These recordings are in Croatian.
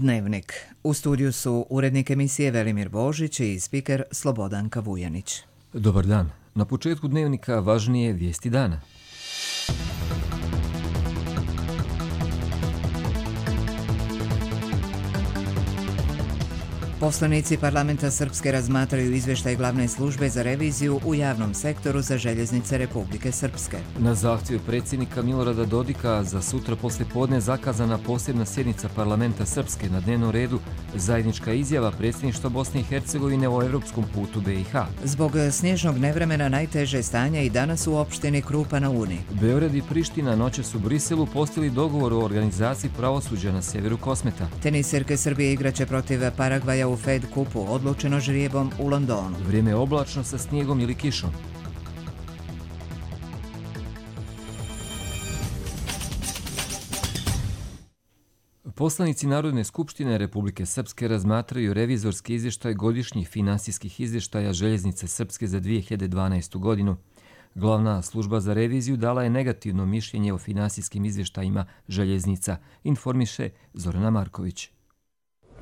Dnevnik. U studiju su urednik emisije Velimir Božić i spiker Slobodanka Vujanić. Dobar dan. Na početku Dnevnika važnije vijesti dana. Poslanici parlamenta Srpske razmatraju izvještaj glavne službe za reviziju u javnom sektoru za željeznice Republike Srpske. Na zahtjev predsjednika Milorada Dodika za sutra poslijepodne zakazana posebna sjednica parlamenta Srpske, na dnevnom redu zajednička izjava predsjedništva Bosne i Hercegovine o europskom putu BiH. Zbog snježnog nevremena najteže stanje i danas u opštini Krupa na Uni. Beograd i Priština noćas u Briselu postigli dogovor o organizaciji pravosuđa na sjeveru Kosmeta. Tenisirke Srbije igraće protiv Paragvaja u Fed kupu, odlučeno žrijebom u Londonu. Vrijeme je oblačno sa snijegom ili kišom. Poslanici Narodne skupštine Republike Srpske razmatraju revizorski izvještaj godišnjih finansijskih izvještaja Željeznice Srpske za 2012. godinu. Glavna služba za reviziju dala je negativno mišljenje o finansijskim izvještajima željeznica, informiše Zorana Marković.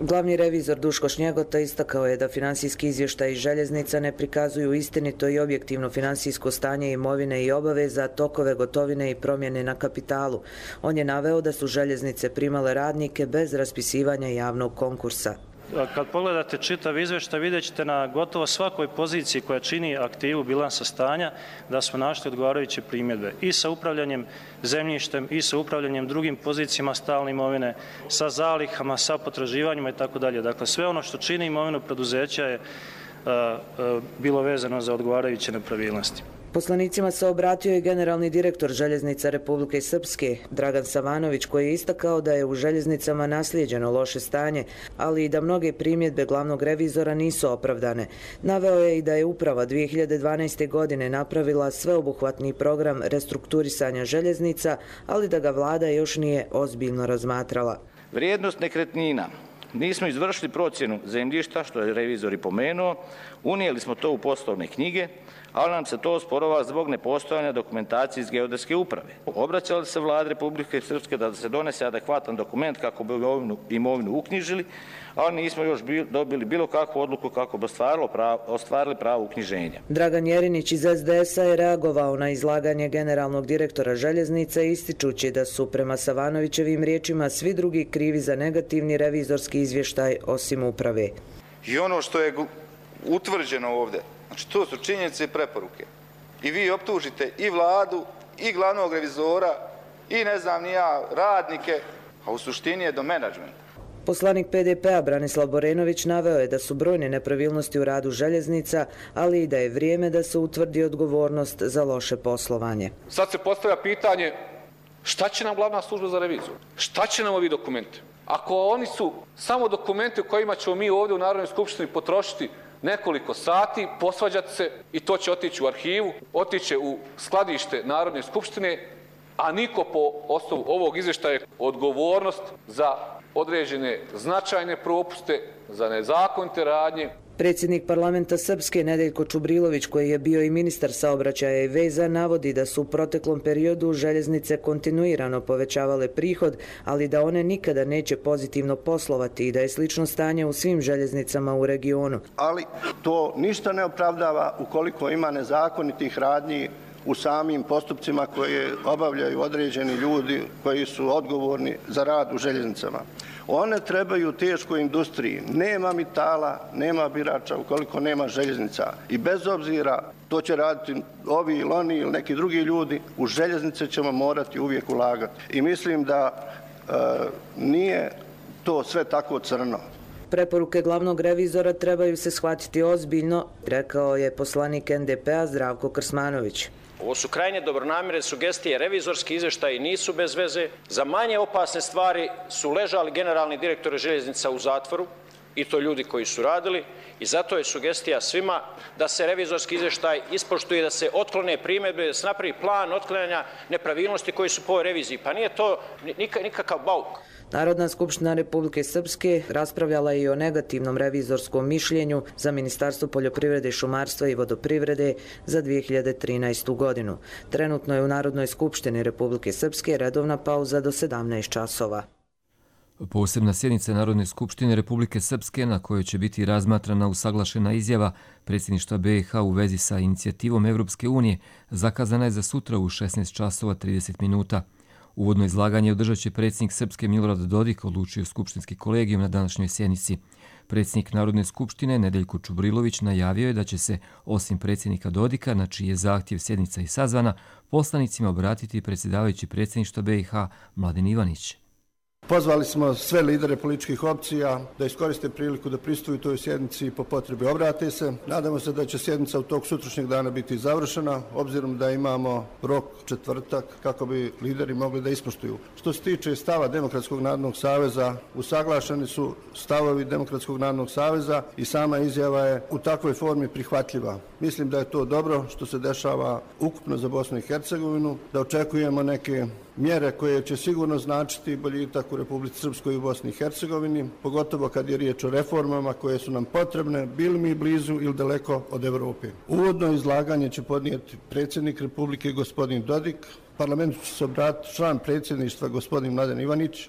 Glavni revizor Duško Šnjegota istakao je da finansijski izvještaji željeznica ne prikazuju istinito i objektivno finansijsko stanje imovine i obaveza, tokove gotovine i promjene na kapitalu. On je naveo da su željeznice primale radnike bez raspisivanja javnog konkursa. Kad pogledate čitav izvještaj, vidjet ćete na gotovo svakoj poziciji koja čini aktivu bilansa stanja da smo našli odgovarajuće primjedbe i sa upravljanjem zemljištem i sa upravljanjem drugim pozicijama stalne imovine, sa zalihama, sa potraživanjima itd. Dakle, sve ono što čini imovinu preduzeća je bilo vezano za odgovarajuće nepravilnosti. Poslanicima se obratio i generalni direktor Željeznica Republike Srpske, Dragan Savanović, koji je istakao da je u željeznicama naslijeđeno loše stanje, ali i da mnoge primjedbe glavnog revizora nisu opravdane. Naveo je i da je uprava 2012. godine napravila sveobuhvatni program restrukturisanja željeznica, ali da ga vlada još nije ozbiljno razmatrala. Vrijednost nekretnina. Nismo izvršili procjenu zemljišta, što je revizor i pomenuo, unijeli smo to u poslovne knjige, ali nam se to osporava zbog nepostojanja dokumentacije iz geodetske uprave. Obraćali se vladi Republike Srpske da se donese adekvatan dokument kako bi imovinu uknjižili, ali nismo još dobili bilo kakvu odluku kako bi ostvarili pravo uknjiženja. Dragan Jerinić iz SDS-a je reagovao na izlaganje generalnog direktora željeznica ističući da su prema Savanovićevim riječima svi drugi krivi za negativni revizorski izvještaj osim uprave. I ono što je utvrđeno ovdje, znači to su činjenice i preporuke. I vi optužite i vladu, i glavnog revizora, i ne znam ni ja, radnike, a u suštini je do menadžmenta. Poslanik PDP-a Branislav Borenović naveo je da su brojne nepravilnosti u radu željeznica, ali i da je vrijeme da se utvrdi odgovornost za loše poslovanje. Sad se postavlja pitanje šta će nam glavna služba za reviziju? Šta će nam ovi dokumenti? Ako oni su samo dokumenti u kojima ćemo mi ovdje u Narodnoj skupštini potrošiti nekoliko sati, posvađati se i to će otići u arhivu, otići u skladište Narodne skupštine, a niko po osnovu ovog izvještaja odgovornost za određene značajne propuste, za nezakonite radnje. Predsjednik parlamenta Srpske Nedeljko Čubrilović, koji je bio i ministar saobraćaja i veza, navodi da su u proteklom periodu željeznice kontinuirano povećavale prihod, ali da one nikada neće pozitivno poslovati i da je slično stanje u svim željeznicama u regionu. Ali to ništa ne opravdava ukoliko ima nezakonitih radnji u samim postupcima koje obavljaju određeni ljudi koji su odgovorni za rad u željeznicama. One trebaju teškoj industriji. Nema metala, nema birača ukoliko nema željeznica. I bez obzira to će raditi ovi ili oni ili neki drugi ljudi, u željeznice ćemo morati uvijek ulagati. I mislim da nije to sve tako crno. Preporuke glavnog revizora trebaju se shvatiti ozbiljno, rekao je poslanik NDP-a Zdravko Krsmanović. Ovo su krajnje dobronamjerne sugestije, revizorski izvještaji nisu bez veze. Za manje opasne stvari su ležali generalni direktori željeznica u zatvoru, i to ljudi koji su radili, i zato je sugestija svima da se revizorski izvještaj ispoštuje, da se otklone primjedbe, da se napravi plan otklanjanja nepravilnosti koji su po ovoj reviziji. Pa nije to nikakav bauk. Narodna skupština Republike Srpske raspravljala je i o negativnom revizorskom mišljenju za Ministarstvo poljoprivrede, šumarstva i vodoprivrede za 2013. godinu. Trenutno je u Narodnoj skupštini Republike Srpske redovna pauza do 17 časova. Posebna sjednica Narodne skupštine Republike Srpske na kojoj će biti razmatrana usaglašena izjava predsjedništva BiH u vezi sa inicijativom Evropske unije zakazana je za sutra u 16 časova 30 minuta. Uvodno izlaganje održat će predsjednik Srpske Milorad Dodik, odlučio skupštinski kolegijum na današnjoj sjednici. Predsjednik Narodne skupštine Nedeljko Čubrilović najavio je da će se, osim predsjednika Dodika, na čiji je zahtjev sjednica i sazvana, poslanicima obratiti predsjedavajući predsjedništva BiH Mladen Ivanić. Pozvali smo sve lidere političkih opcija da iskoriste priliku da pristuju toj sjednici i po potrebi obrate se. Nadamo se da će sjednica u tog sutrašnjeg dana biti završena, obzirom da imamo rok četvrtak kako bi lideri mogli da ispoštuju. Što se tiče stava Demokratskog narodnog saveza, usaglašeni su stavovi Demokratskog narodnog saveza i sama izjava je u takvoj formi prihvatljiva. Mislim da je to dobro što se dešava ukupno za Bosnu i Hercegovinu, da očekujemo neke mjere koje će sigurno značiti boljitak u Republici Srpskoj i u Bosni i Hercegovini, pogotovo kad je riječ o reformama koje su nam potrebne, bili mi blizu ili daleko od Evrope. Uvodno izlaganje će podnijeti predsjednik Republike gospodin Dodik, parlamentu će se obratiti član predsjedništva gospodin Mladen Ivanić.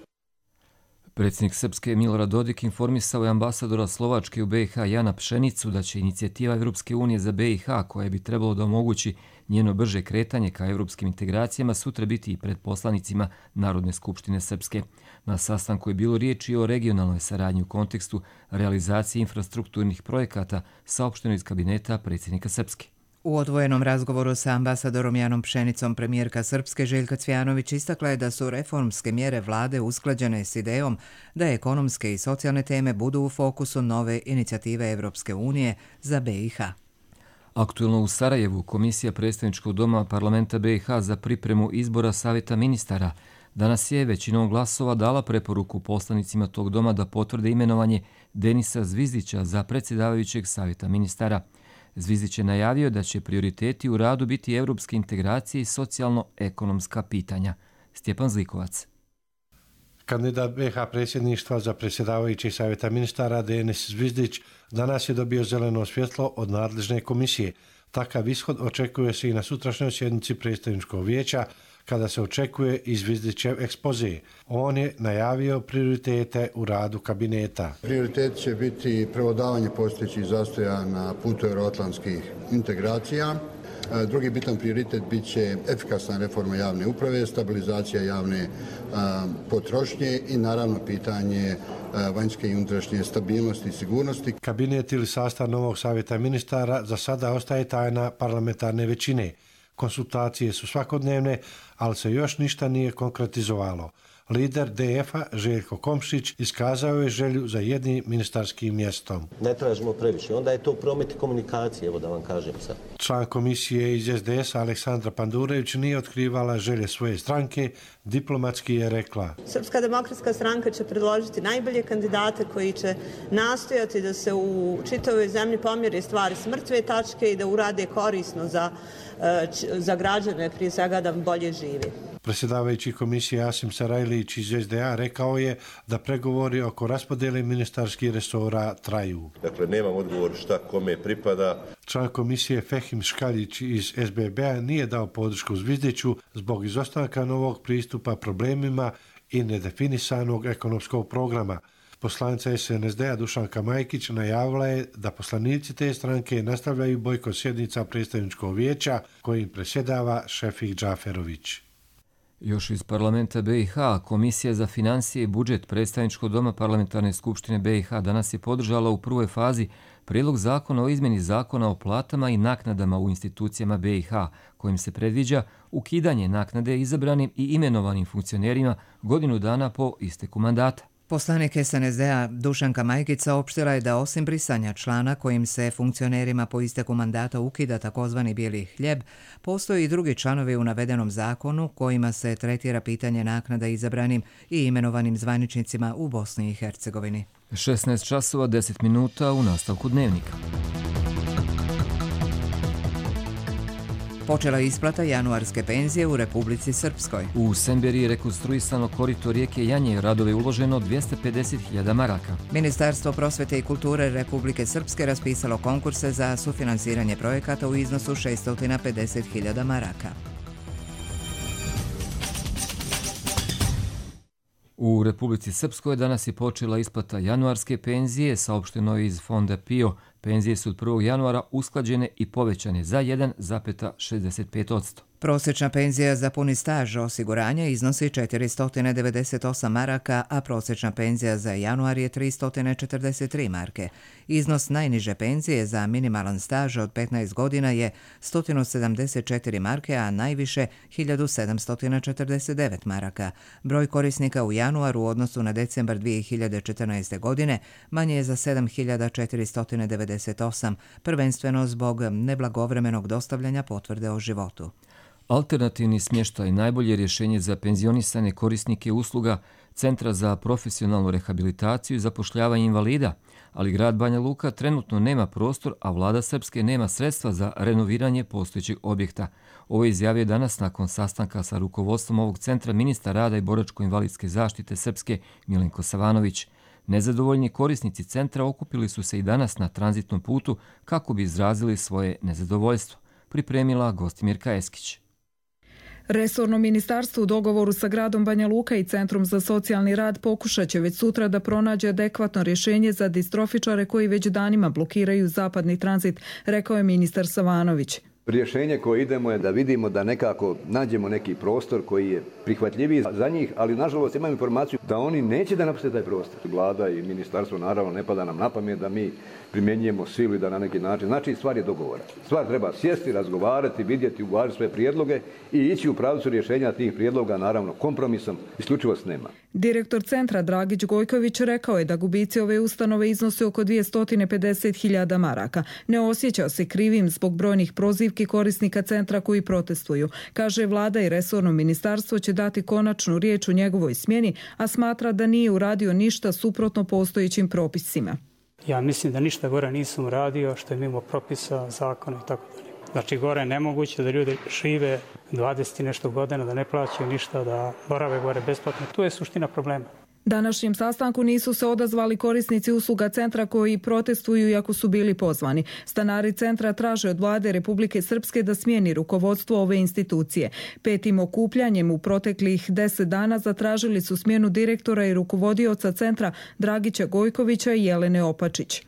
Predsjednik Srpske Milorad Dodik informisao je ambasadora Slovačke u BiH Jana Pšenicu da će inicijativa Evropske unije za BiH, koja bi trebalo da omogući njeno brže kretanje ka evropskim integracijama, sutra biti i pred poslanicima Narodne skupštine Srpske. Na sastanku je bilo riječi o regionalnoj saradnji u kontekstu realizacije infrastrukturnih projekata, saopšteno iz kabineta predsjednika Srpske. U odvojenom razgovoru sa ambasadorom Janom Pšenicom premijerka Srpske Željka Cvjanović istakla je da su reformske mjere vlade usklađene s idejom da ekonomske i socijalne teme budu u fokusu nove inicijative Evropske unije za BiH. Aktuelno u Sarajevu Komisija predstavničkog doma parlamenta BiH za pripremu izbora savjeta ministara danas je većinom glasova dala preporuku poslanicima tog doma da potvrde imenovanje Denisa Zvizdića za predsjedavajućeg savjeta ministara. Zvizdić je najavio da će prioriteti u radu biti evropske integracije i socijalno-ekonomska pitanja. Stjepan Zlikovac. Kandidat BiH predsjedništva za predsjedavajući savjeta ministara Denis Zvizdić danas je dobio zeleno svjetlo od nadležne komisije. Takav ishod očekuje se i na sutrašnjoj sjednici predstavničkog vijeća, kada se očekuje i Zvizdićev ekspoze. On je najavio prioritete u radu kabineta. Prioritet će biti prevladavanje postojećih zastoja na putu euroatlantskih integracija. Drugi bitan prioritet bit će efikasna reforma javne uprave, stabilizacija javne potrošnje i naravno pitanje vanjske i unutrašnje stabilnosti i sigurnosti. Kabinet ili sastav novog savjeta ministara za sada ostaje tajna parlamentarne većine. Konsultacije su svakodnevne, ali se još ništa nije konkretizovalo. Lider DF-a Željko Komšić iskazao je želju za jednim ministarskim mjestom. Ne tražimo previše, onda je to promet i komunikacije, evo da vam kažem sad. Član komisije iz SDS-a Aleksandra Pandurević nije otkrivala želje svoje stranke, diplomatski je rekla. Srpska demokratska stranka će predložiti najbolje kandidate koji će nastojati da se u čitavoj zemlji pomjere stvari s mrtve tačke i da urade korisno za građane, prije svega da bolje žive. Predsjedavajući komisije Asim Sarajlić iz SDA rekao je da pregovori oko raspodjele ministarskih resora traju. Dakle, nemam odgovor šta kome pripada. Član komisije Fehim Škaljić iz SBB-a nije dao podršku Zvizdiću zbog izostanka novog pristupa problemima i nedefinisanog ekonomskog programa. Poslanica SNSD-a Dušanka Majkić najavila je da poslanici te stranke nastavljaju bojkot sjednica predstavničkog vijeća kojim predsjedava Šefik Džaferović. Još iz parlamenta BiH, Komisija za financije i budžet predstavničkog doma parlamentarne skupštine BiH danas je podržala u prvoj fazi prijedlog zakona o izmjeni zakona o platama i naknadama u institucijama BiH, kojim se predviđa ukidanje naknade izabranim i imenovanim funkcionerima godinu dana po isteku mandata. Poslanik SNSD-a Dušanka Majkić saopštila je da osim brisanja člana kojim se funkcionerima po isteku mandata ukida takozvani bijeli hljeb, postoji i drugi članovi u navedenom zakonu kojima se tretira pitanje naknada izabranim i imenovanim zvaničnicima u Bosni i Hercegovini. 16 časova 10 minuta u nastavku dnevnika. Počela je isplata januarske penzije u Republici Srpskoj. U Semberiji je rekonstruisano korito rijeke Janje, radove uloženo 250.000 maraka. Ministarstvo prosvete i kulture Republike Srpske raspisalo konkurse za sufinansiranje projekata u iznosu 650.000 maraka. U Republici Srpskoj danas je počela isplata januarske penzije, saopšteno je iz fonda PIO. Penzije su od 1. januara usklađene i povećane za 1,65%. Prosječna penzija za puni staž osiguranja iznosi 498 maraka, a prosječna penzija za januar je 343 marke. Iznos najniže penzije za minimalan staž od 15 godina je 174 marke, a najviše 1749 maraka. Broj korisnika u januaru u odnosu na decembar 2014. godine manje je za 7498, prvenstveno zbog neblagovremenog dostavljanja potvrde o životu. Alternativni smještaj najbolje rješenje za penzionisane korisnike usluga Centra za profesionalnu rehabilitaciju i zapošljavanje invalida, ali grad Banja Luka trenutno nema prostor, a vlada Srpske nema sredstva za renoviranje postojećeg objekta. Ovo je izjavio danas nakon sastanka sa rukovodstvom ovog centra ministar rada i boračko-invalidske zaštite Srpske Milenko Savanović. Nezadovoljni korisnici centra okupili su se i danas na tranzitnom putu kako bi izrazili svoje nezadovoljstvo. Pripremila Gostimirka Eskić. Resorno ministarstvo u dogovoru sa gradom Banja Luka i Centrom za socijalni rad pokušat će već sutra da pronađe adekvatno rješenje za distrofičare koji već danima blokiraju zapadni tranzit, rekao je ministar Savanović. Rješenje koje idemo je da vidimo da nekako nađemo neki prostor koji je prihvatljiviji za njih, ali nažalost imam informaciju da oni neće da napuste taj prostor. Vlada i ministarstvo naravno ne pada nam na pamet da mi primjenjujemo silu i da na neki način. Znači stvar je dogovora. Stvar treba sjesti, razgovarati, vidjeti, uvažiti sve prijedloge i ići u pravcu rješenja tih prijedloga, naravno kompromisom, isključivost nema. Direktor centra Dragić Gojković rekao je da gubici ove ustanove iznose oko 250.000 maraka. Ne osjeća se krivim zbog brojnih prozivki korisnika centra koji protestuju. Kaže, vlada i resorno ministarstvo će dati konačnu riječ u njegovoj smjeni, a smatra da nije uradio ništa suprotno postojećim propisima. Ja mislim da ništa gore nisam uradio što je mimo propisa, zakona i tako dalje. Znači gore je nemoguće da ljudi žive 20 i nešto godina, da ne plaćaju ništa, da borave gore besplatno. Tu je suština problema. Današnjem sastanku nisu se odazvali korisnici usluga centra koji protestuju iako su bili pozvani. Stanari centra traže od vlade Republike Srpske da smijeni rukovodstvo ove institucije. Petim okupljanjem u proteklih 10 dana zatražili su smjenu direktora i rukovodioca centra Dragića Gojkovića i Jelene Opačić.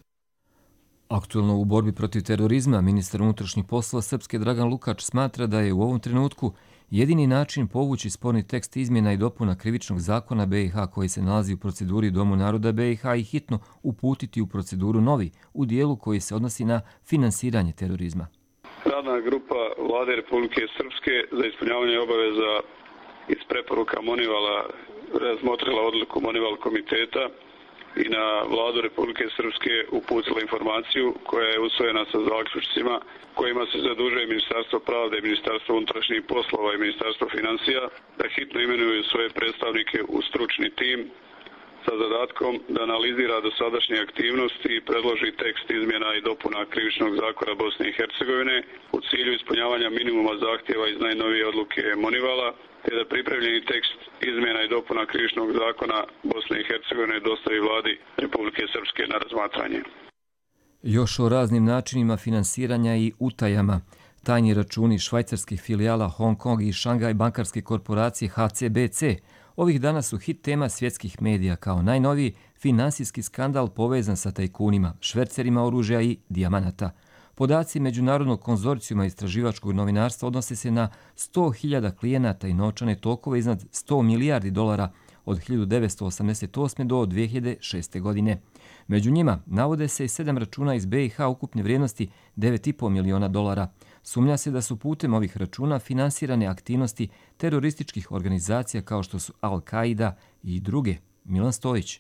Aktuelno u borbi protiv terorizma, ministar unutrašnjih poslova Srpske Dragan Lukač smatra da je u ovom trenutku jedini način povući sporni tekst izmjena i dopuna krivičnog zakona BiH koji se nalazi u proceduri Domu naroda BiH i hitno uputiti u proceduru novi u dijelu koji se odnosi na finansiranje terorizma. Radna grupa Vlade Republike Srpske za ispunjavanje obaveza iz preporuka Monivala razmotrila odluku Monival komiteta i na Vladu Republike Srpske uputila informaciju koja je usvojena sa zaključcima kojima se zadužuje Ministarstvo pravde, Ministarstvo unutrašnjih poslova i Ministarstvo financija da hitno imenuju svoje predstavnike u stručni tim sa zadatkom da analizira dosadašnje aktivnosti i predloži tekst izmjena i dopuna krivičnog zakona Bosne i Hercegovine u cilju ispunjavanja minimuma zahtjeva iz najnovije odluke Monivala, te da pripremljeni tekst izmjena i dopuna krivičnog zakona Bosne i Hercegovine dostavi vladi Republike Srpske na razmatranje. Još o raznim načinima finansiranja i utajama. Tajni računi švajcarskih filijala Hong Kong i Šangaj bankarske korporacije HCBC ovih dana su hit tema svjetskih medija kao najnoviji finansijski skandal povezan sa tajkunima, švercerima oružja i dijamanata. Podaci Međunarodnog konzorcijuma istraživačkog novinarstva odnose se na 100.000 klijenata i novčane tokove iznad 100 milijardi dolara od 1988. do 2006. godine. Među njima navode se i 7 računa iz BiH ukupne vrijednosti 9,5 miliona dolara. Sumnja se da su putem ovih računa finansirane aktivnosti terorističkih organizacija kao što su Al-Qaida i druge. Milan Stojić.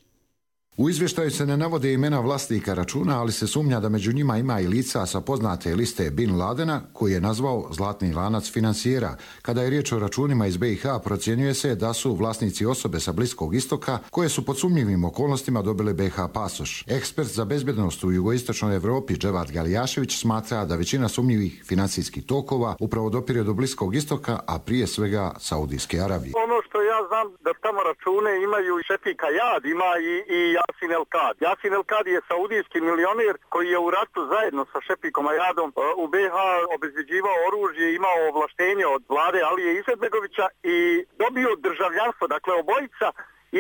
U izvještaju se ne navode imena vlasnika računa, ali se sumnja da među njima ima i lica sa poznate liste Bin Ladena, koji je nazvao zlatni lanac finansijera. Kada je riječ o računima iz BiH, procjenjuje se da su vlasnici osobe sa Bliskog istoka, koje su pod sumnjivim okolnostima dobile BiH pasoš. Ekspert za bezbjednost u jugoistočnoj Evropi Dževat Galijašević smatra da većina sumnjivih finansijskih tokova upravo dopire do Bliskog istoka, a prije svega Saudijske Arabije. Ono što ja znam da tamo račune imaju i Šefika Jad, ima i Jasin El-Kad. Jasin El-Kad je saudijski milioner koji je u ratu zajedno sa Šefikom Ajadom u BiH obezbeđivao oružje, imao ovlaštenje od vlade Alije Izetbegovića i dobio državljanstvo. Dakle, obojica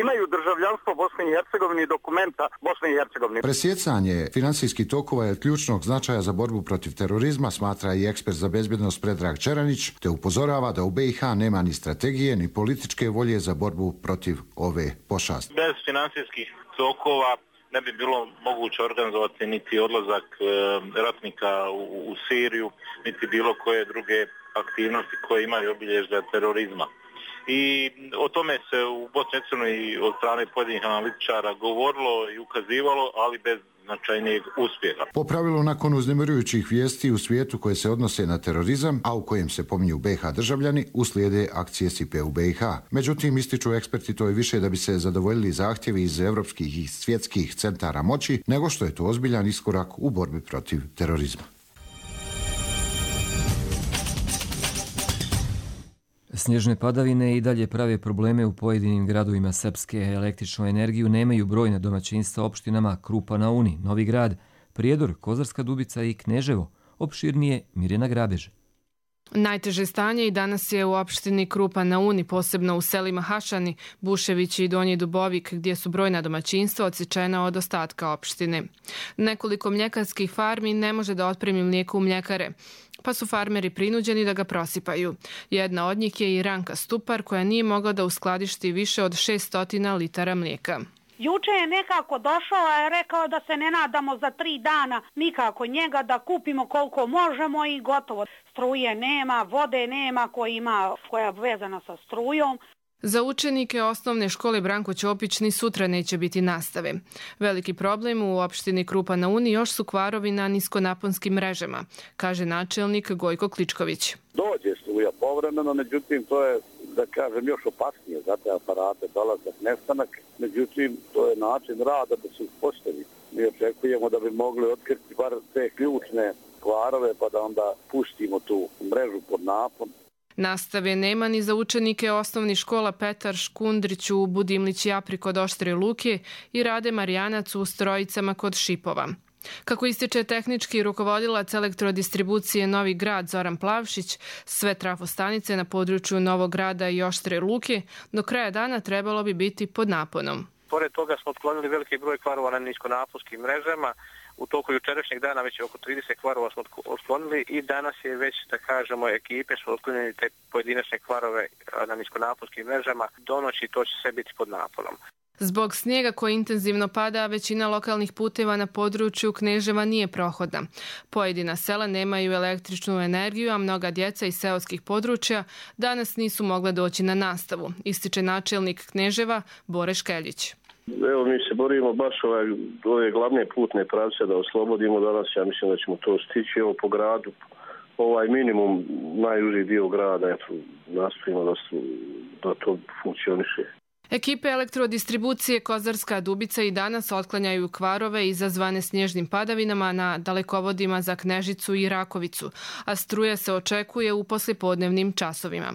imaju državljanstvo Bosne i Hercegovine i dokumenta Bosne i Hercegovine. Presjecanje financijskih tokova je od ključnog značaja za borbu protiv terorizma, smatra i ekspert za bezbjednost Predrag Čeranić, te upozorava da u BiH nema ni strategije ni političke volje za borbu protiv ove pošasti. Bez financijskih tokova ne bi bilo moguće organizovati niti odlazak ratnika u Siriju, niti bilo koje druge aktivnosti koje imaju obilježja terorizma. I o tome se u Bosni i Hercegovini od strane pojedinih analitičara govorilo i ukazivalo, ali bez značajnijeg uspjeha. Po pravilu, nakon uznemirujućih vijesti u svijetu koje se odnose na terorizam, a u kojem se pominju BiH državljani, uslijede akcije SIPE u BiH. Međutim, ističu eksperti, to je više da bi se zadovoljili zahtjevi iz evropskih i svjetskih centara moći, nego što je to ozbiljan iskorak u borbi protiv terorizma. Snježne padavine i dalje prave probleme u pojedinim gradovima Srpske. Električnu energiju nemaju brojna domaćinstva opštinama Krupa na Uni, Novi Grad, Prijedor, Kozarska Dubica i Kneževo. Opširnije Mirjana Grabež. Najteže stanje i danas je u opštini Krupa na Uni, posebno u selima Hašani, Buševići i Donji Dubovik, gdje su brojna domaćinstva odsječena od ostatka opštine. Nekoliko mljekarskih farmi ne može da otpremi mlijeko u mljekare, pa su farmeri prinuđeni da ga prosipaju. Jedna od njih je i Ranka Stupar, koja nije mogla da uskladišti više od 600 litara mlijeka. Juče je nekako došao, a je rekao da se ne nadamo za 3 dana nikako njega, da kupimo koliko možemo i gotovo. Struje nema, vode nema koja je vezana sa strujom. Za učenike osnovne škole Branko Ćopić ni sutra neće biti nastave. Veliki problem u opštini Krupa na Uni još su kvarovi na niskonaponskim mrežama, kaže načelnik Gojko Kličković. Dođe struja povremeno, međutim to je, da kažem, još opasnije za te aparate, dolazak, nestanak. Međutim, to je način rada da se uspostavi. Mi očekujemo da bi mogli otkriti bar te ključne kvarove pa da onda pustimo tu mrežu pod napon. Nastave nema ni za učenike osnovnih škola Petar Škundrić u Budimlić Japri kod Oštre Luke i Rade Marijanac u Strojicama kod Šipova. Kako ističe tehnički rukovodilac elektrodistribucije Novi Grad Zoran Plavšić, sve trafostanice na području Novog Grada i Oštre Luke do kraja dana trebalo bi biti pod naponom. Pored toga smo otklonili veliki broj kvarova na niskonaponskim mrežama. U toku jučerašnjeg dana već oko 30 kvarova smo otklonili i danas je već, da kažemo, ekipe su otklonili te pojedinačne kvarove na niskonaponskim mrežama. Do noći to će sve biti pod naponom. Zbog snijega koji intenzivno pada, većina lokalnih puteva na području Kneževa nije prohodna. Pojedina sela nemaju električnu energiju, a mnoga djeca iz seoskih područja danas nisu mogla doći na nastavu, ističe načelnik Kneževa Bore Škeljić. Evo, mi se borimo baš ove glavne putne pravce da oslobodimo danas. Ja mislim da ćemo to stići. Evo, po gradu, minimum, najuži dio grada, nastojimo da to funkcioniše. Ekipe elektrodistribucije Kozarska Dubica i danas otklanjaju kvarove izazvane snježnim padavinama na dalekovodima za Knežicu i Rakovicu, a struja se očekuje u poslijepodnevnim časovima.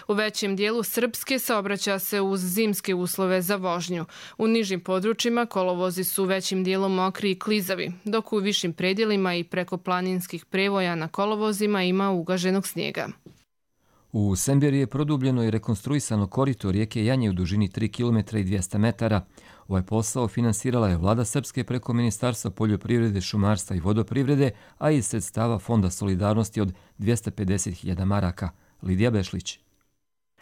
U većem dijelu Srpske saobraća se uz zimske uslove za vožnju. U nižim područjima kolovozi su većim dijelom mokri i klizavi, dok u višim predjelima i preko planinskih prevoja na kolovozima ima ugaženog snijega. U Semberi je produbljeno i rekonstruisano korito rijeke Janje u dužini 3 km i 200 metara. Ovaj posao finansirala je vlada Srpske preko Ministarstva poljoprivrede, šumarstva i vodoprivrede, a iz sredstava Fonda solidarnosti od 250.000 maraka. Lidija Bešlić.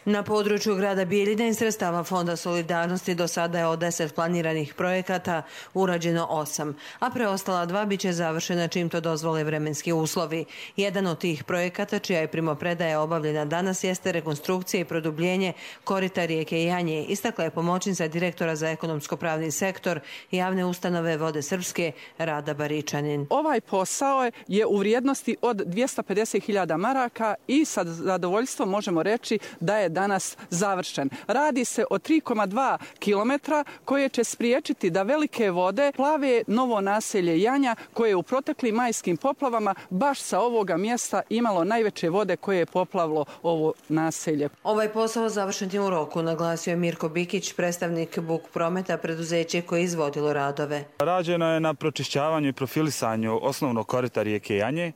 Na području grada Bijeljine iz sredstava Fonda solidarnosti do sada je od 10 planiranih projekata urađeno 8, a preostala 2 bit će završena čim to dozvole vremenski uslovi. Jedan od tih projekata, čija je primopredaja obavljena danas, jeste rekonstrukcija i produbljenje korita rijeke Janje, istakla je pomoćnica direktora za ekonomsko-pravni sektor javne ustanove Vode Srpske Rada Baričanin. Ovaj posao je u vrijednosti od 250.000 maraka i sa zadovoljstvom možemo reći da je danas završen. Radi se o 3,2 kilometra koje će spriječiti da velike vode plave novo naselje Janja koje je u proteklim majskim poplavama baš sa ovoga mjesta imalo najveće vode koje je poplavilo ovo naselje. Ovaj posao završen je u roku, naglasio je Mirko Bikić, predstavnik Buk Prometa, preduzeće koje je izvodilo radove. Rađeno je na pročišćavanju i profilisanju osnovnog korita rijeke Janje,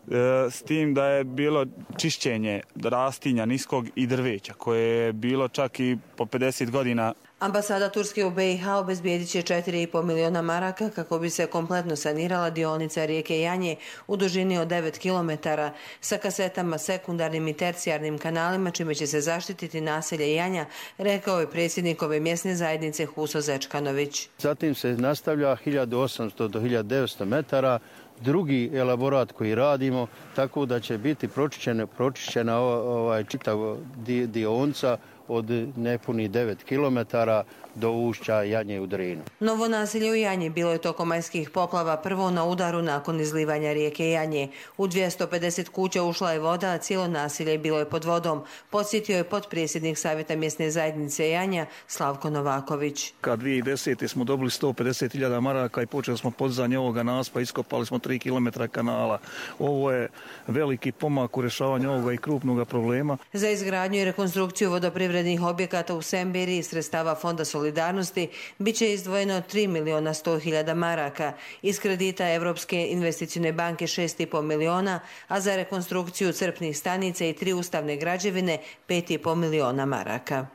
s tim da je bilo čišćenje rastinja niskog i drveća koje koje je bilo čak i po 50 godina. Ambasada Turske u BiH obezbijedit će 4,5 miliona maraka kako bi se kompletno sanirala dionica rijeke Janje u dužini od 9 km sa kasetama, sekundarnim i tercijarnim kanalima, čime će se zaštititi naselje Janja, rekao je predsjednik ove mjesne zajednice Huso Zečkanović. Zatim se nastavlja 1800 do 1900 metara drugi elaborat koji radimo, tako da će biti pročišćena čitav dionica od nepunih 9 km do ušća Janje u Drinu. Novo naselje u Janji bilo je tokom majskih poplava prvo na udaru nakon izlivanja rijeke Janje. U 250 kuća ušla je voda, a cijelo naselje bilo je pod vodom, podsjetio je potpredsjednik Savjeta mjesne zajednice Janja Slavko Novaković. Kad 2010. smo dobili 150.000 maraka i počeli smo podizanje ovoga naspa, iskopali smo 3 km kanala. Ovo je veliki pomak u rješavanju ovoga i krupnog problema. Za izgradnju i rekonstrukciju vodoprivrednih objekata u Sembiri iz sredstava Fonda solidarnosti biće izdvojeno 3.100.000 maraka, iz kredita Europske investicijne banke 6,5 miliona, a za rekonstrukciju crpnih stanica i 3 ustavne građevine 5,5 miliona maraka.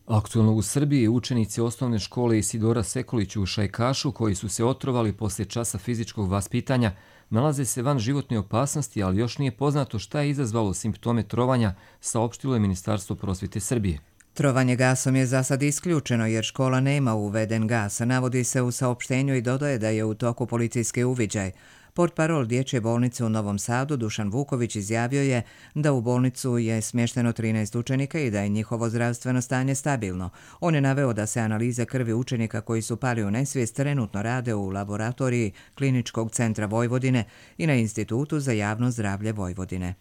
Aktualno u Srbiji učenici osnovne škole Isidora Sekulić u Šajkašu, koji su se otrovali poslije časa fizičkog vaspitanja, nalaze se van životne opasnosti, ali još nije poznato šta je izazvalo simptome trovanja, saopštilo je Ministarstvo prosvjete Srbije. Trovanje gasom je za sad isključeno jer škola nema uveden gas, navodi se u saopštenju i dodaje da je u toku policijski uviđaj. Portparol Dječje bolnice u Novom Sadu Dušan Vuković izjavio je da u bolnicu je smješteno 13 učenika i da je njihovo zdravstveno stanje stabilno. On je naveo da se analize krvi učenika koji su pali u nesvijest trenutno rade u laboratoriji Kliničkog centra Vojvodine i na Institutu za javno zdravlje Vojvodine.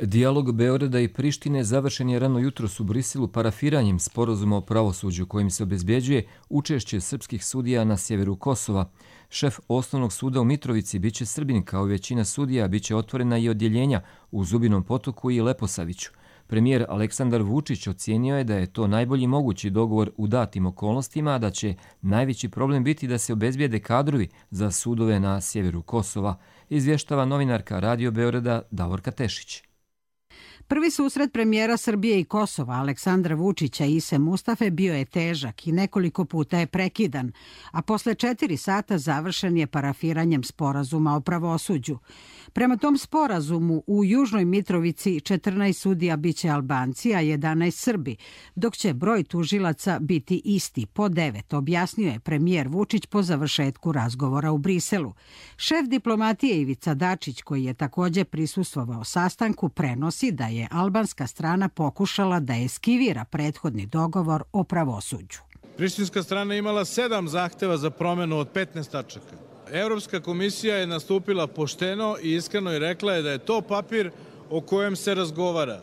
Dijalog Beograda i Prištine završen je rano jutros u Briselu parafiranjem sporazuma o pravosuđu kojim se obezbeđuje učešće srpskih sudija na sjeveru Kosova. Šef osnovnog suda u Mitrovici biće Srbin, kao i većina sudija biće otvorena i odjeljenja u Zubinom Potoku i Leposaviću. Premijer Aleksandar Vučić ocijenio je da je to najbolji mogući dogovor u datim okolnostima, a da će najveći problem biti da se obezbijede kadrovi za sudove na sjeveru Kosova, izvještava novinarka Radio Beograda Davorka Tešić. Prvi susret premijera Srbije i Kosova Aleksandra Vučića i Ise Mustafe bio je težak i nekoliko puta je prekidan, a posle 4 sata završen je parafiranjem sporazuma o pravosuđu. Prema tom sporazumu u Južnoj Mitrovici 14 sudija biće Albanci, a 11 Srbi, dok će broj tužilaca biti isti, po 9, objasnio je premijer Vučić po završetku razgovora u Briselu. Šef diplomatije Ivica Dačić, koji je također prisustvovao sastanku, prenosi da je albanska strana pokušala da eskivira prethodni dogovor o pravosuđu. Prištinska strana imala 7 zahteva za promjenu od 15 tačaka. Europska komisija je nastupila pošteno i iskreno i rekla je da je to papir o kojem se razgovara.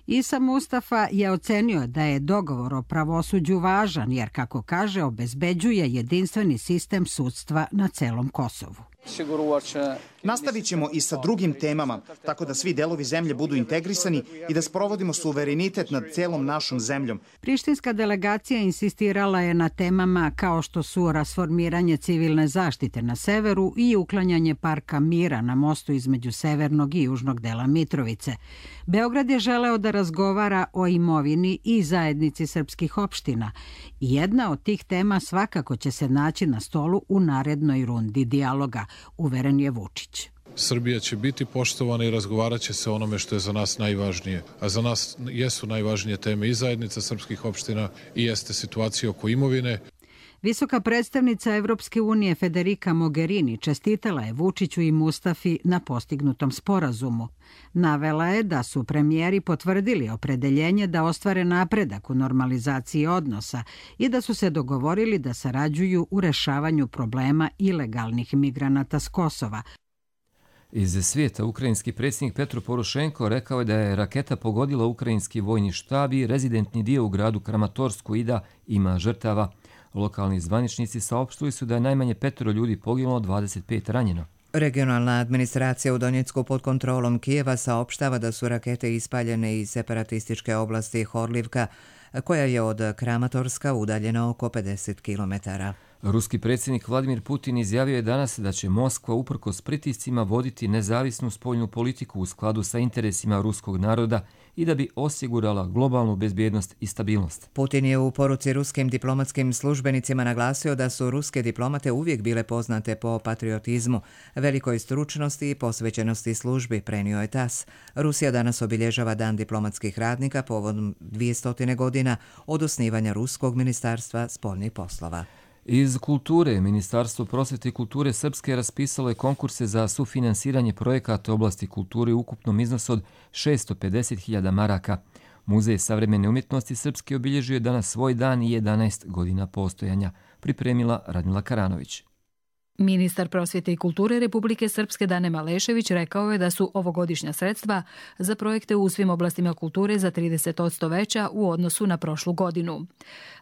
Isa Mustafa je ocenio da je dogovor o pravosuđu važan jer, kako kaže, obezbeđuje jedinstveni sistem sudstva na celom Kosovu. Nastavit ćemo i sa drugim temama, tako da svi delovi zemlje budu integrisani i da sprovodimo suverenitet nad celom našom zemljom. Prištinska delegacija insistirala je na temama kao što su rasformiranje civilne zaštite na severu i uklanjanje parka mira na mostu između severnog i južnog dela Mitrovice. Beograd je želeo da razgovara o imovini i zajednici srpskih opština. Jedna od tih tema svakako će se naći na stolu u narednoj rundi dijaloga, uveren je Vučić. Srbija će biti poštovana i razgovarat će se o onome što je za nas najvažnije. A za nas jesu najvažnije teme i zajednica srpskih opština i jeste situacija oko imovine. Visoka predstavnica Evropske unije Federica Mogherini čestitala je Vučiću i Mustafi na postignutom sporazumu. Navela je da su premijeri potvrdili opredeljenje da ostvare napredak u normalizaciji odnosa i da su se dogovorili da sarađuju u rešavanju problema ilegalnih migranata s Kosova. Iz svijeta ukrajinski predsjednik Petro Porošenko rekao je da je raketa pogodila ukrajinski vojni štab i rezidentni dio u gradu Kramatorsku i da ima žrtava. Lokalni zvaničnici saopštili su da je najmanje 5 ljudi poginulo, 25 ranjeno. Regionalna administracija u Donjecku pod kontrolom Kijeva saopštava da su rakete ispaljene iz separatističke oblasti Horlivka, koja je od Kramatorska udaljena oko 50 km. Ruski predsjednik Vladimir Putin izjavio je danas da će Moskva uprkos pritiscima voditi nezavisnu spoljnu politiku u skladu sa interesima ruskog naroda i da bi osigurala globalnu bezbjednost i stabilnost. Putin je u poruci ruskim diplomatskim službenicima naglasio da su ruske diplomate uvijek bile poznate po patriotizmu, velikoj stručnosti i posvećenosti službi, prenio je TASS. Rusija danas obilježava Dan diplomatskih radnika povodom 200 godina od osnivanja Ruskog ministarstva spoljnih poslova. Iz kulture, Ministarstvo prosvjete i kulture Srpske raspisalo je konkurse za sufinansiranje projekata u oblasti kulture u ukupnom iznosu od 650.000 maraka. Muzej savremene umjetnosti Srpske obilježio je danas svoj dan i 11 godina postojanja, pripremila Radmila Karanović. Ministar prosvjete i kulture Republike Srpske Dane Malešević rekao je da su ovogodišnja sredstva za projekte u svim oblastima kulture za 30% veća u odnosu na prošlu godinu.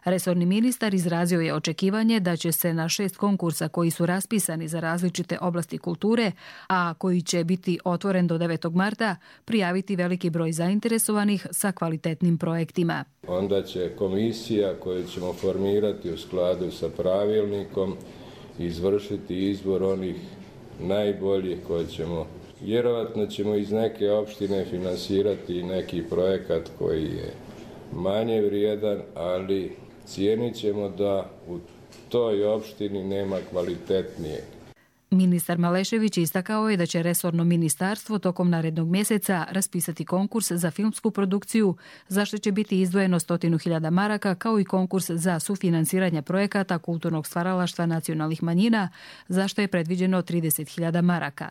Resorni ministar izrazio je očekivanje da će se na 6 konkursa koji su raspisani za različite oblasti kulture, a koji će biti otvoren do 9. marta, prijaviti veliki broj zainteresovanih sa kvalitetnim projektima. Onda će komisija koju ćemo formirati u skladu sa pravilnikom izvršiti izbor onih najboljih koje ćemo. Vjerovatno ćemo iz neke opštine finansirati neki projekat koji je manje vrijedan, ali cijenit ćemo da u toj opštini nema kvalitetnije. Ministar Malešević istakao je da će resorno ministarstvo tokom narednog mjeseca raspisati konkurs za filmsku produkciju, za što će biti izdvojeno 100.000 maraka, kao i konkurs za sufinansiranje projekata kulturnog stvaralaštva nacionalnih manjina, za što je predviđeno 30.000 maraka.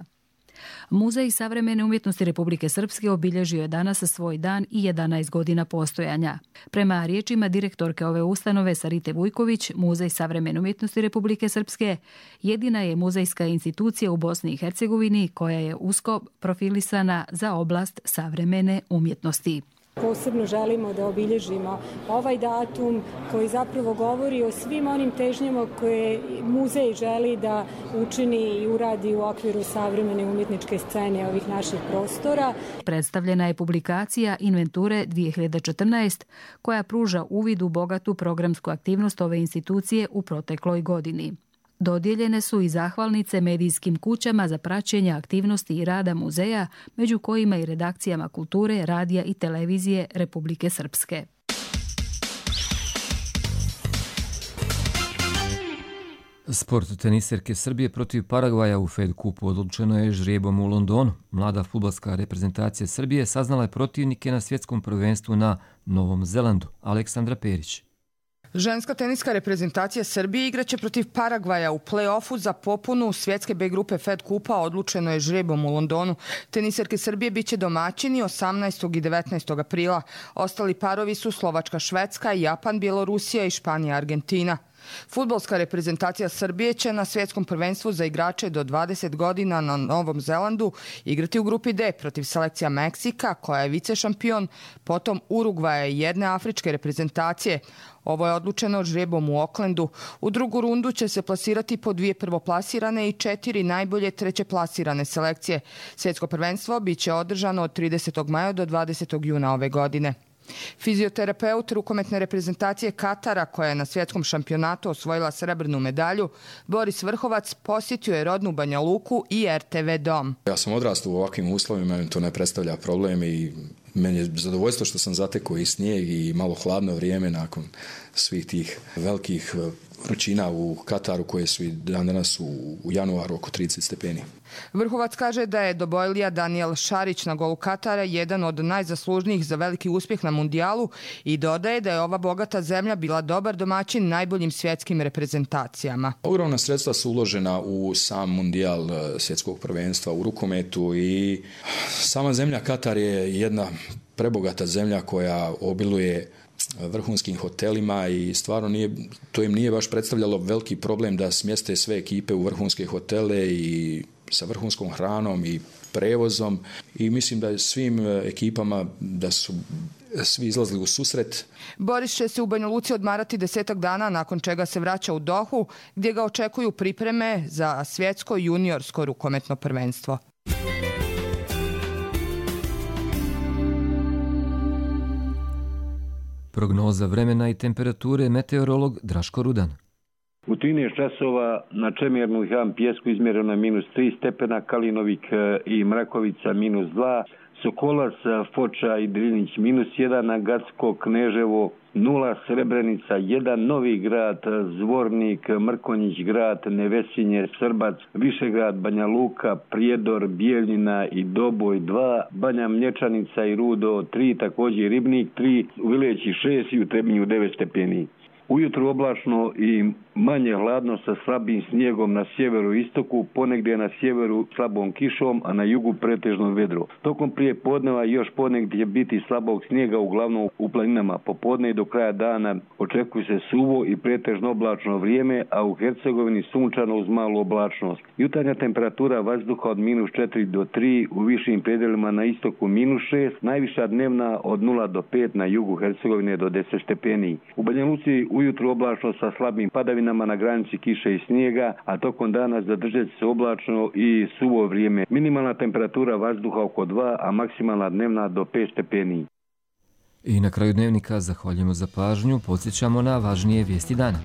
Muzej savremene umjetnosti Republike Srpske obilježio je danas svoj dan i 11 godina postojanja. Prema riječima direktorke ove ustanove Sarite Vujković, Muzej savremene umjetnosti Republike Srpske jedina je muzejska institucija u Bosni i Hercegovini koja je usko profilisana za oblast savremene umjetnosti. Posebno želimo da obilježimo ovaj datum koji zapravo govori o svim onim težnjama koje muzej želi da učini i uradi u okviru savremene umjetničke scene ovih naših prostora. Predstavljena je publikacija Inventure 2014 koja pruža uvid u bogatu programsku aktivnost ove institucije u protekloj godini. Dodijeljene su i zahvalnice medijskim kućama za praćenje aktivnosti i rada muzeja, među kojima i redakcijama kulture, radija i televizije Republike Srpske. Sport teniserke Srbije protiv Paragvaja u Fed Cupu odlučeno je žrijebom u Londonu. Mlada fudbalska reprezentacija Srbije saznala je protivnike na svjetskom prvenstvu na Novom Zelandu. Aleksandra Perić. Ženska teniska reprezentacija Srbije igraće protiv Paragvaja u play-offu za popunu svjetske B grupe Fed Kupa, odlučeno je žrebom u Londonu. Teniserke Srbije biće domaćini 18. i 19. aprila. Ostali parovi su Slovačka, Švedska, Japan, Bjelorusija i Španija, Argentina. Fudbalska reprezentacija Srbije će na svjetskom prvenstvu za igrače do 20 godina na Novom Zelandu igrati u grupi D protiv selekcija Meksika, koja je vice šampion, potom Urugvaja i jedne afričke reprezentacije. Ovo je odlučeno žrebom u Aucklandu. U drugu rundu će se plasirati po 2 prvoplasirane i 4 najbolje trećeplasirane selekcije. Svjetsko prvenstvo biće održano od 30. maja do 20. juna ove godine. Fizioterapeut rukometne reprezentacije Katara, koja je na svjetskom šampionatu osvojila srebrnu medalju, Boris Vrhovac, posjetio je rodnu Banja Luku i RTV Dom. Ja sam odrastao u ovakvim uslovima, to ne predstavlja problem i meni je zadovoljstvo što sam zatekao i snijeg i malo hladno vrijeme nakon svih tih velikih vrućina u Kataru koje su i danas u januaru oko 30 stepeni. Vrhovac kaže da je dobojlija Daniel Šarić na golu Katara jedan od najzaslužnijih za veliki uspjeh na mundijalu i dodaje da je ova bogata zemlja bila dobar domaćin najboljim svjetskim reprezentacijama. Ogromna sredstva su uložena u sam mundijal svjetskog prvenstva u rukometu i sama zemlja Katar je jedna prebogata zemlja koja obiluje vrhunskim hotelima i stvarno to im nije baš predstavljalo veliki problem da smjeste sve ekipe u vrhunske hotele i sa vrhunskom hranom i prevozom i mislim da je svim ekipama da su svi izlazili u susret. Boris će se u Banja Luci odmarati 10 dana, nakon čega se vraća u Dohu, gdje ga očekuju pripreme za svjetsko juniorsko rukometno prvenstvo. Prognoza vremena i temperature, meteorolog Draško Rudan. U 13 časova na Čemernu i Ham Pjesku izmjereno je -3 stepena, Kalinovik i Mrakovica -2, Sokolac, Foča i Drinić -1, Gacko, Kneževo 0, Srebrenica 1, Novi Grad, Zvornik, Mrkonjić Grad, Nevesinje, Srbac, Višegrad, Banja Luka, Prijedor, Bijeljina i Doboj 2, Banja Mlječanica i Rudo 3, također Ribnik 3, u Vileći 6 i u Trebinju 9 stepeni. Ujutro oblačno i manje hladno sa slabim snijegom na sjeveru i istoku, ponegdje na sjeveru slabom kišom, a na jugu pretežno vedro. Tokom prije podneva još ponegdje biti slabog snijega, uglavnom u planinama. Popodne i do kraja dana očekuje se suvo i pretežno oblačno vrijeme, a u Hercegovini sunčano uz malu oblačnost. Jutarnja temperatura vazduha od -4 do 3, u višim predjelima na istoku -6, najviša dnevna od 0 do 5, na jugu Hercegovine do 10 stepeni. U Banja Luci ujutro oblačno sa slabim padavinama na granici kiše i snijega, a tokom dana zadržat se oblačno i suvo vrijeme. Minimalna temperatura vazduha oko 2, a maksimalna dnevna do 5 stepeni. I na kraju dnevnika zahvaljujemo za pažnju, podsjećamo na važnije vijesti dana.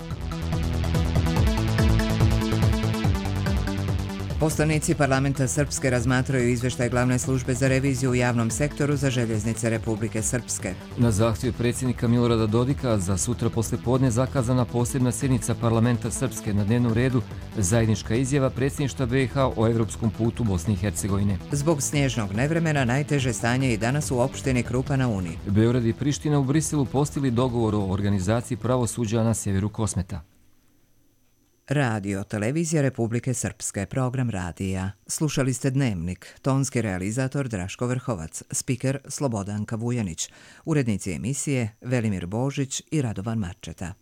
Poslanici parlamenta Srpske razmatraju izvještaj glavne službe za reviziju u javnom sektoru za željeznice Republike Srpske. Na zahtjev predsjednika Milorada Dodika za sutra poslijepodne zakazana posebna sjednica parlamenta Srpske, na dnevnom redu zajednička izjava predsjedništva BiH o evropskom putu Bosne i Hercegovine. Zbog snježnog nevremena najteže stanje i danas u opštini Krupa na Uni. Beograd i Priština u Briselu postigli dogovor o organizaciji pravosuđa na sjeveru Kosmeta. Radio, televizija Republike Srpske, program radija. Slušali ste Dnevnik, tonski realizator Draško Vrhovac, spiker Slobodanka Vujanić, urednici emisije Velimir Božić i Radovan Marčeta.